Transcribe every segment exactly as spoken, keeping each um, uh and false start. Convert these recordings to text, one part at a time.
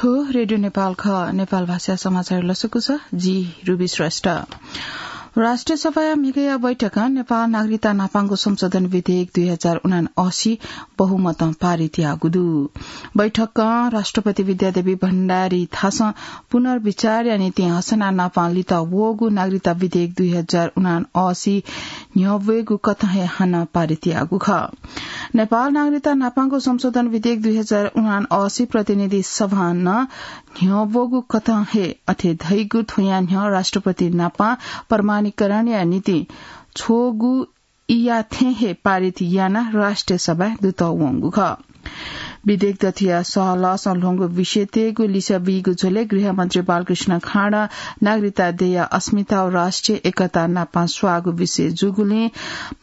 रेडियो नेपाल खः। नेपाल भाषा समाचार लसकुस, जि रुबी श्रेष्ठ। राष्ट्रिय सभाया म्हिगया बैठकं नेपाल नागरिकता नापांगु संशोधन विधेयक दुई हजार उनासी बहुमतं पारित याःगु दु। बैठकं राष्ट्रपति विद्यादेवी भण्डारी थासं पुनर्विचारया निंतिं हसना नापां लित वःगु नागरिकता विधेयक दुई हजार उनासी न्ह्यब्वयेगु कथं हे हानं पारित याःगु खः। नेपाल नागरिकता नापांगु संशोधन विधेयक दुई हजार उनासी प्रतिनिधि सभां नं न्ह्यब्वःगु कथं हे अथे धइगु थ्वया न्ह्यः राष्ट्रपति नापां प्रमाणीकरणया निंतिं छ्वःगु इया थें हे पारित यानाः राष्ट्रिय सभाय् दुत वंगु खः। विधेयक दथुया सहलहसं ल्ह्वंगु विषयतय्गु लिसः बीगु झ्वलय् गृहमन्त्री बालकृष्ण खाँडं नागरिकता देय्या अस्मिता व राष्ट्रिय एकता नापां स्वाःगु विषय जूगुलिं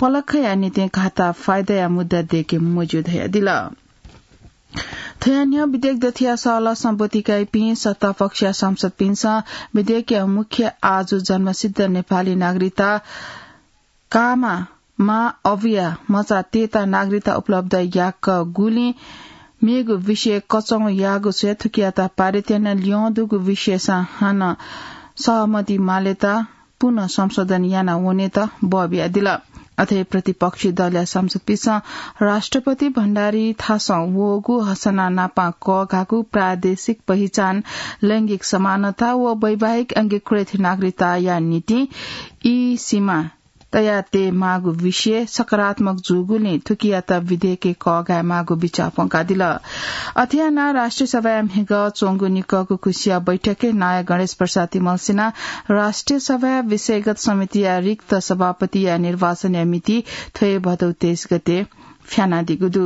पलखया निंतिं घाता फाइदाया मुद्दा दय्के मज्यू धयादिल। थ्वया न्ह्यः विधेयक दथुया सहलहसं ब्वति काइपिं सत्तापक्षया सांसदपिन्सं विधेयकया मुख्य आजु जन्मसिद्ध नेपाली नागरिकता काःमा मां अबुया मचा तयेत नागरिकता उपलब्ध याकूगुलिं मेगु विषय कचंगु याःगु स्वयाः थुकियात पारित याना ल्यं दुगु विषयसं हानं सहमति मालेत पुनः संशोधन याना वनेत बः बियादिल। अथे प्रतिपक्षी दलया सांसदपिन्सं राष्ट्रपति भण्डारी थासं वःगु हसना नापां कःघाःगु प्रादेशिक पहिचान, लैंगिक समानता व वैवाहिक अंगीकृत नागरिकताया निंतिं ई सीमा तयातये माःगु विषय सकारात्मक जूगुलिं थुकियात विधेयकय् कःघाये माःगु बिचाः प्वंकादिल। अथे यानाः राष्ट्रिय सभाया म्हिगः च्वंगु निकःगु खुसिया बैठकय् नायः गणेश प्रसाद तिमल्सिनां राष्ट्रिय सभाया विषयगत समितिया रिक्त सभापतिया निर्वाचनया मिति थ्व हे भदौ तेइस गते फ्यानादीगु दु।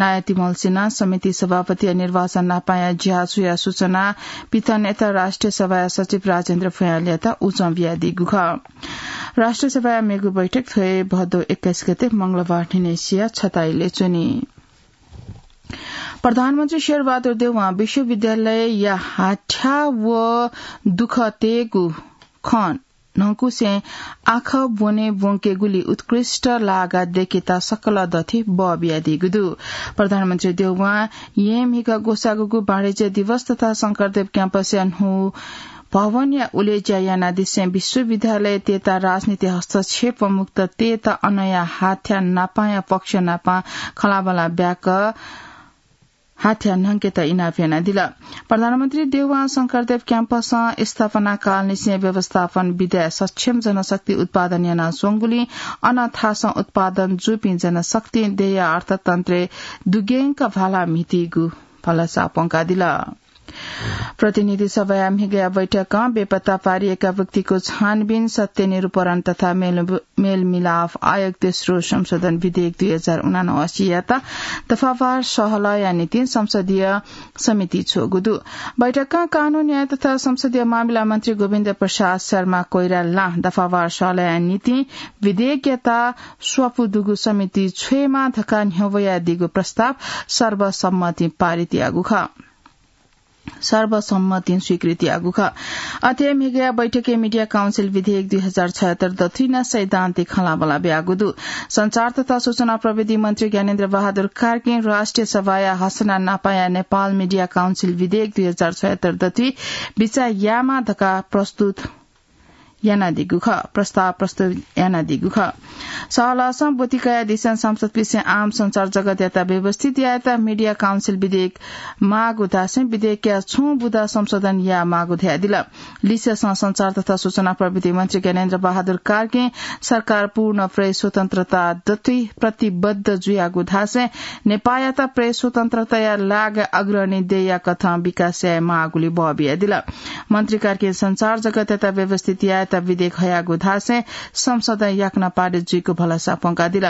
नायः तिमल्सिनां समिति सभापतिया निर्वाचन नापांया ज्या स्वयाः सूचना पिथनेत राष्ट्रिय सभाया सचिव राजेन्द्र भुयाँलयात उजं बियादीगु खः। राष्ट्रिय सभाया मेगु बैठक थ्व हे भदौ एक्काइस गते मंगलबार न्हिनय्सिया छता इलय् च्वनी। प्रधानमन्त्री शेरबहादुर देउवां विश्वविद्यालयया हाथ्या व दुःख तयेगु खँ न्हंकुसें आखः ब्वने ब्वंकेगुली उत्कृष्ट लागा दयेकेत सकल दथुइ बः बियादीगु दु। प्रधानमन्त्री देउवां येँ म्हिगः ग्वसाःगुगु वाणिज्य दिवस तथा शंकरदेव क्याम्पसया न्हू भवनया उलेज्या यानादिसें विश्वविद्यालयतय्त राजनीति हस्तक्षेप मुक्त तयेत अनया हाथ्या नापांया पक्ष नापां खँल्हाबल्हा ब्याक हाथ्या न्हंकेत इनाप यानादिल। प्रधानमन्त्री देउवां शंकरदेव क्याम्पसं स्थापना कालनिसें व्यवस्थापन विधाय् सक्षम जनशक्ति उत्पादन यानाच्वंगुलिं अन थासं उत्पादन जूपिं जनशक्तिं देय्या अर्थतन्त्रय् दुग्यंक भाला म्हितीगु भलसा प्वंकादिल। प्रतिनिधि सभाया म्हिगया बैठकं बेपत्ता पारिएका व्यक्तिको छानबिन, सत्य निरूपण तथा मेल-, मेलमिलाप आयोग तेस्रो संशोधन विधेयक दुई हजार उनासीयात दफावार सहलहया निंतिं संसदीय समिति छ्वःगु दु। बैठकं कानून न्याय तथा संसदीय मामिला मन्त्री गोविन्द प्रसाद शर्मा कोइरालां दफावार सहलहया निंतिं विधेयकयात स्वापू दुगु समिति छ्वयेमा धकाः न्ह्यब्वयादीगु प्रस्ताव सर्वसम्मतिं पारित याःगु खः। सर्वसम्मतिं स्वीकृति याःगु खः। अथे म्हिगया बैठकय् मिडिया काउन्सिल विधेयक दुई हजार छयत्तर दथुइ नं सैद्धान्तिक खँल्हाबल्हा ब्याःगु दु। सञ्चार तथा सूचना प्रविधि मन्त्री ज्ञानेन्द्र बहादुर कार्कीं राष्ट्रिय सभाया हसना नापांया नेपाल मिडिया काउन्सिल विधेयक दुई हजार छयत्तर दथुइ बिचाः यायेमा धकाः प्रस्तुत यानादीगु खः, प्रस्ताव प्रस्तुत यानादीगु खः। सहलहसं ब्वति कयादिसें सांसदपिन्सं आम सञ्चार जगतयात व्यवस्थित यायेत मिडिया काउन्सिल विधेयक माःगु धासें विधेयकया छुं बुँदा संशोधन यायेमाःगु धयादिल। लिसेसं सञ्चार तथा सूचना प्रविधि मन्त्री ज्ञानेन्द्र बहादुर कार्कीं सरकार पूर्ण प्रेस स्वतन्त्रता दथुइ प्रतिबद्ध जुयागु धासें नेपाःयात प्रेस स्वतन्त्रताया लागाय् अग्रणी देय्या कथं विकास यायेमाःगुली बः बियादिल। मन्त्री कार्कीं सञ्चार जगतयात व्यवस्थित यायेत विधेयक हयागु धासें संसदं याकनं पारित जुइगु भलसा प्वंकादिल।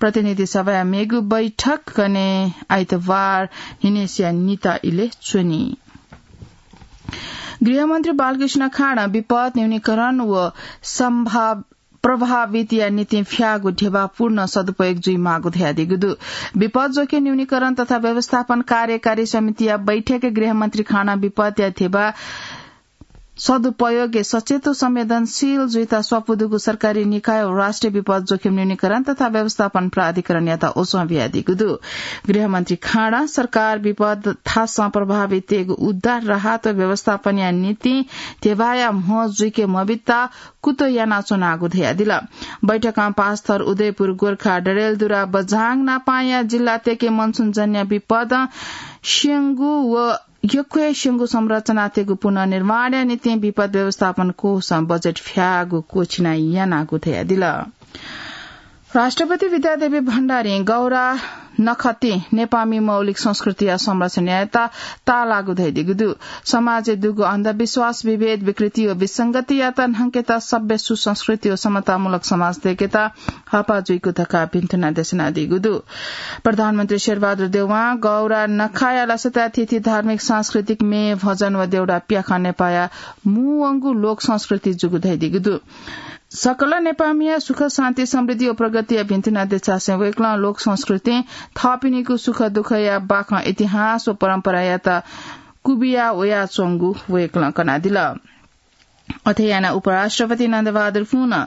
प्रतिनिधि सभाया मेगु बैठक गने आइतबार न्हिनय्सिया निता इलय् च्वनी। गृहमन्त्री बालकृष्ण खाँडं विपद न्यूनीकरण व सम्भाव प्रभावितया निंतिं फ्याःगु ध्यबा पूर्ण सदुपयोग जुइमाःगु धयादीगु दु। विपद जोखिम न्यूनीकरण तथा व्यवस्थापन कार्यकारी समितिया बैठकय् गृहमन्त्री खाँडं विपदया ध्यबा सदुपयोगय् सचेत व संवेदनशील जुइत स्वापू दुगु सरकारी निकाय व राष्ट्रिय विपद जोखिम न्यूनीकरण तथा व्यवस्थापन प्राधिकरणयात ओसं बियादीगु दु। गृहमन्त्री खाँडा सरकार विपद थासं प्रभाविततय्गु उद्धार, राहत व व्यवस्थापनया निंतिं ध्यबाया म्ह जुइके मबित्ता कुतः यानाच्वनागु धयादिल। बैठकं पाँचथर उदयपुर, गोर्खा, डडेलधुरा, बझाङ नापंया जिल्लातय्के मनसुनजन्य विपदं स्यंगु व यक्व हे स्यंगू संरचनातय्गु पुनर्निर्माणया निंतिं विपद व्यवस्थापन कोषं बजेट फ्याःगु क्वःछिना यानागु धयादिल। राष्ट्रपति विद्यादेवी भण्डारीं गौरा नखःतिं नेपाःमि मौलिक संस्कृतिया संरक्षण यायेत ताःलाःगु धयादीगु दु। समाजय् दुगु अन्धविश्वास, विभेद, विकृति व विसंगतियात न्हंकेत सभ्य सुसंस्कृति व समतामूलक समाज दयेकेत हःपाः जुइगु धकाः भिन्तुना देछानादीगु दु। प्रधानमन्त्री शेरबहादुर देउवां गौरा नखःया लसताय् थीथी धार्मिक, सांस्कृतिक, म्ये, भजन व देउडा प्याखं नेपाःया मू वंगु लोक संस्कृति जूगु धयादीगु दु। सकल नेपाःमिया सुख, शान्ति, समृद्धि व प्रगतिया भिन्तुना देछासें वय्कलं लोक संस्कृतिं थःपिनिगु सुख दुःखया बाखं इतिहास व परम्परायात कुबिया वयाच्वंगु वय्कलं कनादिल। अथे यानाः उपराष्ट्रपति नन्दबहादुर पुनं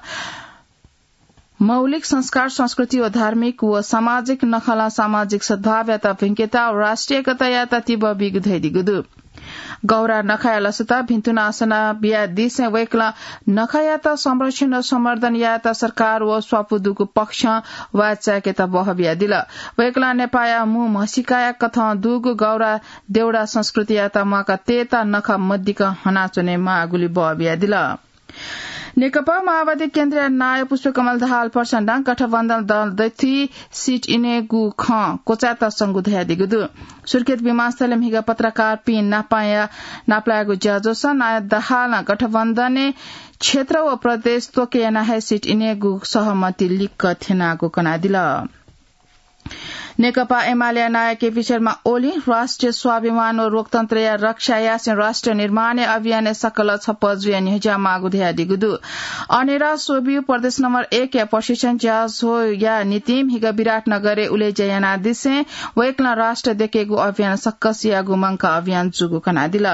मौलिक संस्कार, संस्कृति व धार्मिक व सामाजिक नखलं सामाजिक सद्भावयात भिंकेत व राष्ट्रिय एकतायात तिबः बीगु धयादीगु दु। गौरा नखःया लसताय् भिन्तुना असना बियादीसें वय्कलं नखःयात संरक्षण व संवर्धन यायेत सरकार व स्वापू दुगु पक्षं वाःचायेकेत बहः बियादिल। वय्कलं नेपाःया मू म्हसीकाया कथं दुगु गौरा देउडा संस्कृतियात म्वाका तयेत नखः मदिक्क हनाच्वने माःगुलि बहः बियादिल। नेकपा माओवादी केन्द्रया नायः पुष्पकमल दाहालं प्रचण्डं गठबन्धन दल दथुइ सिट इनेगु खँ क्वचायेत संगु धयादीगु दु। सुर्खेत विमानस्थलय् म्हिगः पत्रकारपिं नापंया नापलायेगु ज्याझ्वलय् नायः दाहालं गठबन्धनय् क्षेत्र व प्रदेश त्वके यानाः हे सिट इनेगु सहमति लिक्क थ्यनागु कनादिल। नेकपा एमालेया नायः केपी शर्मा ओलीं राष्ट्रिय स्वाभिमान व लोकतन्त्रया रक्षा यासें राष्ट्र निर्माणया अभियानय् सकल छप्पँ जुयाः न्ह्यज्याःमाःगु धयादीगु दु। अनेरा स्वब्यू प्रदेश नम्बर एकया प्रशिक्षण ज्याझ्वःया निंतिं म्हिगः विराटनगरय् उलेज्या यानादिसें वय्कलं राष्ट्र दयेकेगु अभियान सक्कसियागु मंकाः अभियान जूगु कनादिल।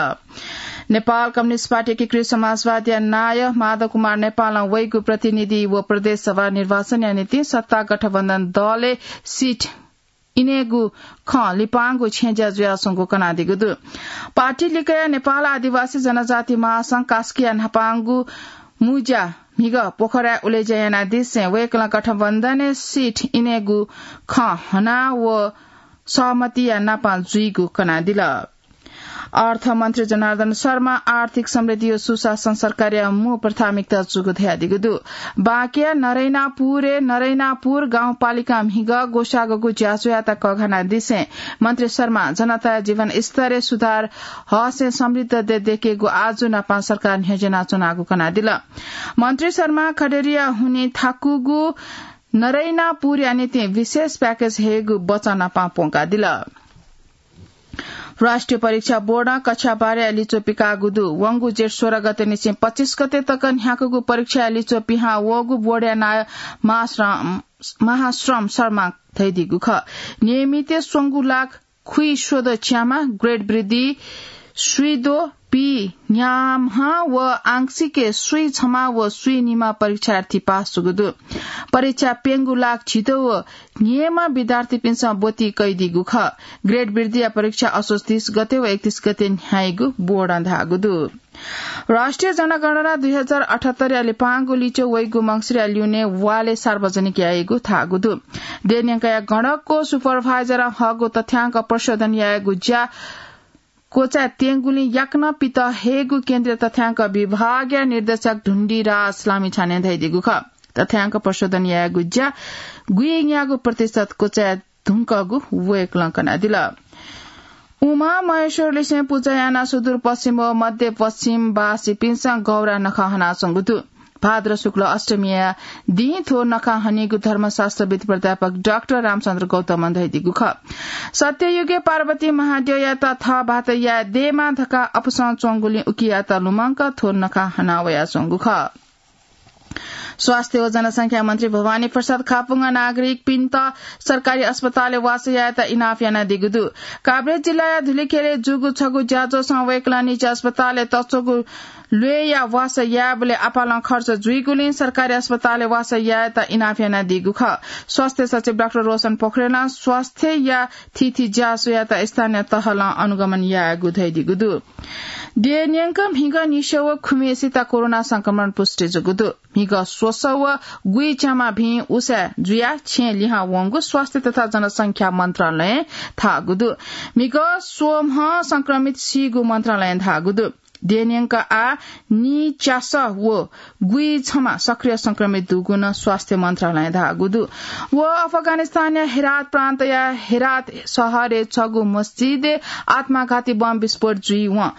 नेपाल कम्युनिस्ट पार्टी एकीकृत समाजवादया नायः माधव कुमार नेपालं वइगु प्रतिनिधि व प्रदेश सभा निर्वाचनया निंतिं सत्ता गठबन्धन दलय् सिट इनेगु खँ लिपांगु छेँज्या जुयाच्वंगु कनादीगु दु। पार्टी लिक्कया नेपाल आदिवासी जनजाति महासंघ कास्कीया न्हापांगु मुँज्या म्हिगः पोखराय् उलेज्या यानादिसें वय्कलं गठबन्धनय् सिट इनेगु खँ हना व सहमतिया नापं जुइगु कनादिल। अर्थमन्त्री जनार्दन शर्मा आर्थिक समृद्धि व सुशासन सरकारया मू प्राथमिकता जूगु धयादीगु दु। बाँकेया नरैनापुरय् नरैनापुर गाउँपालिकां म्हिगः ग्वसाःगु ज्याझ्वःयात कःघानादिसें मन्त्री शर्मां जनताया जीवनस्तरय् सुधार हःसें समृद्ध देय् दयेकेगु आजु नापं सरकार न्ह्यज्यानाच्वनागु कनादिल। मन्त्री शर्मां खडेरीया हुनिं थाकुगु नरैनापुरया निंतिं विशेष प्याकेज हयेगु वचन नापं प्वंकादिल। राष्ट्रिय परीक्षा बोर्डं कक्षा बाह्रया लिच्वः पिकाःगु दु। वंगु जेठ सोह्र गते निसें पच्चिस गते तक न्ह्याकूगु परीक्षाया लिच्वः पिहां वःगु बोर्डया नायः महाश्रम, महाश्रम शर्मां धयादीगु खः। नियमितय् स्वंगू लाख खुइस्वदँ च्याम्ह, ग्रेड वृद्धि स्वीद्वः पीन्याम्ह व आंशिकय् स्वीछम्ह व स्वीनिम्ह परीक्षार्थी पास जूगु दु। परीक्षा प्यंगू लाख झिद्वः व न्हय्म्ह विद्यार्थीपिन्सं ब्वति कयादीगु खः। ग्रेड वृद्धिया परीक्षा असोज तीस गते व एकतीस गते न्ह्याइगु बोर्डं धाःगु दु। राष्ट्रिय जनगणना दुई हजार अठहत्तरया लिपांगु लिच्वः वइगु मंसिरया ल्यूने वालय् सार्वजनिक याइगु धाःगु दु। देय् न्यंकया गणकया सुपरभाइजरं हःगु तथ्याङ्क प्रशोधन यायेगु ज्या क्वचाय् त्यंगुलिं याकनं पित हयेगु केन्द्रीय तथ्याङ्क विभागया निर्देशक ढुण्डिराज लामिछानें धयादीगु खः। तथ्याङ्क प्रशोधन यायेगु ज्या गुइन्यागू प्रतिशत क्वचाय् धुंकूगु वय्कलं कनादिल। उमा महेश्वरलिसें पुजा यानाः सुदूरपश्चिम व मध्यपश्चिमवासीपिन्सं गौरा नखः हनाच्वंगु दु। भाद्र शुक्ल अष्टमीया दिं थ्व नखः हनीगु धर्मशास्त्रविद् प्राध्यापक डाक्टर रामचन्द्र गौतमं धयादीगु खः। सत्ययुगय् पार्वती महाद्यःयात थः भाःत याये दयेमा धकाः अपसं च्वंगुलिं उकियात लुमंक थ्व नखः हना वयाच्वंगु खः। स्वास्थ्य व जनसंख्या मन्त्री भवानी प्रसाद खापुंग नागरिकपिन्त सरकारी अस्पतालय् वासः यायेत इनाप यानादीगु दु। काभ्रे जिल्लाया धुलिखेलय् जूगु छगू ज्याझ्वलय् वय्कलं निजी अस्पतालय् तच्वःगु ल्वय्या वासः यायेबलय् आपालं खर्च जुइगुलिं सरकारी अस्पतालय् वासः यायेत इनाप यानादीगु खः। स्वास्थ्य सचिव डाक्टर रोशन पोखरेलं स्वास्थ्यया थीथी ज्या स्वयात स्थानीय तहलं अनुगमन यायेगु धयादीगु दु। देय् न्यंक म्हिगः नीस्यं व खुम्हेसित कोरोना संक्रमण पुष्टि जूगु दु। म्हिगः स्वसः व गुइच्याम्ह भिं उसाँय् जुयाः छेँय् लिहां वंगु स्वास्थ्य तथा जनसंख्या मन्त्रालयं धाःगु दु। म्हिगः स्वम्ह संक्रमित सीगु मन्त्रालयं धाःगु दु। देय् न्यंक आः नीच्यासः व गुइछम्ह सक्रिय संक्रमित दुगु नं स्वास्थ्य मन्त्रालयं धाःगु दु। व अफगानिस्तानया हेरात प्रान्तया हेरात शहरय् छगू मस्जिदय् आत्मघाती बम विस्फोट जुइवं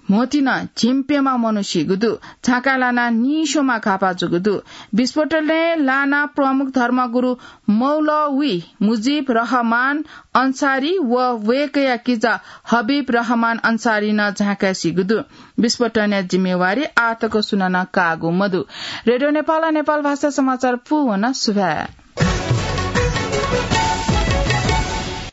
म्होतिं झिंप्यम्ह मनू सीगु दु। झाँक्काय् लानाः नीस्वम्ह घाःपाः जूगु दु। विस्फोटलय् लानाः प्रमुख धर्मगुरु मौलवी मुजिब रहमान अन्सारी व वय्कःया किजा हबिब रहमान अन्सारी नं झाँक्काय् सीगु दु। विस्फोटया जिम्मेवारी आःतक सुनानं काःगु मदु। रेडियो नेपालं नेपाल भाषा समाचार पूवन सुभाय्।